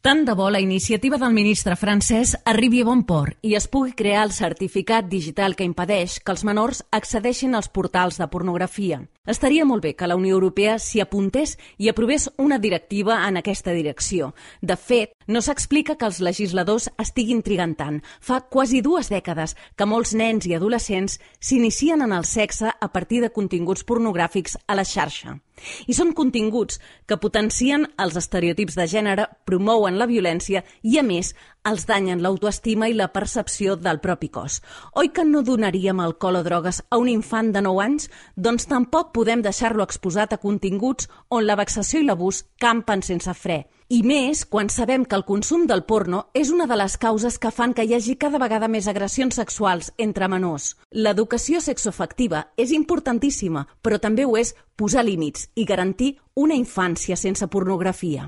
Tant de bo la iniciativa del ministre francès arribi a bon port i es pugui crear el certificat digital que impedeix que els menors accedeixin als portals de pornografia. Estaria molt bé que la Unió Europea s'hi apuntés i aprovés una directiva en aquesta direcció. De fet, no s'explica que els legisladors estiguin trigant tant. Fa quasi 2 dècades que molts nens i adolescents s'inicien en el sexe a partir de continguts pornogràfics a la xarxa. I són continguts que potencien els estereotips de gènere, promouen la violència i, a més, els danyen l'autoestima i la percepció del propi cos. Oi que no donaríem alcohol o drogues a un infant de 9 anys? Doncs tampoc podem deixar-lo exposat a continguts on la vexació i l'abús campen sense fre. I més quan sabem que el consum del porno és una de les causes que fan que hi hagi cada vegada més agressions sexuals entre menors. L'educació sexoafectiva és importantíssima, però també ho és posar límits i garantir una infància sense pornografia.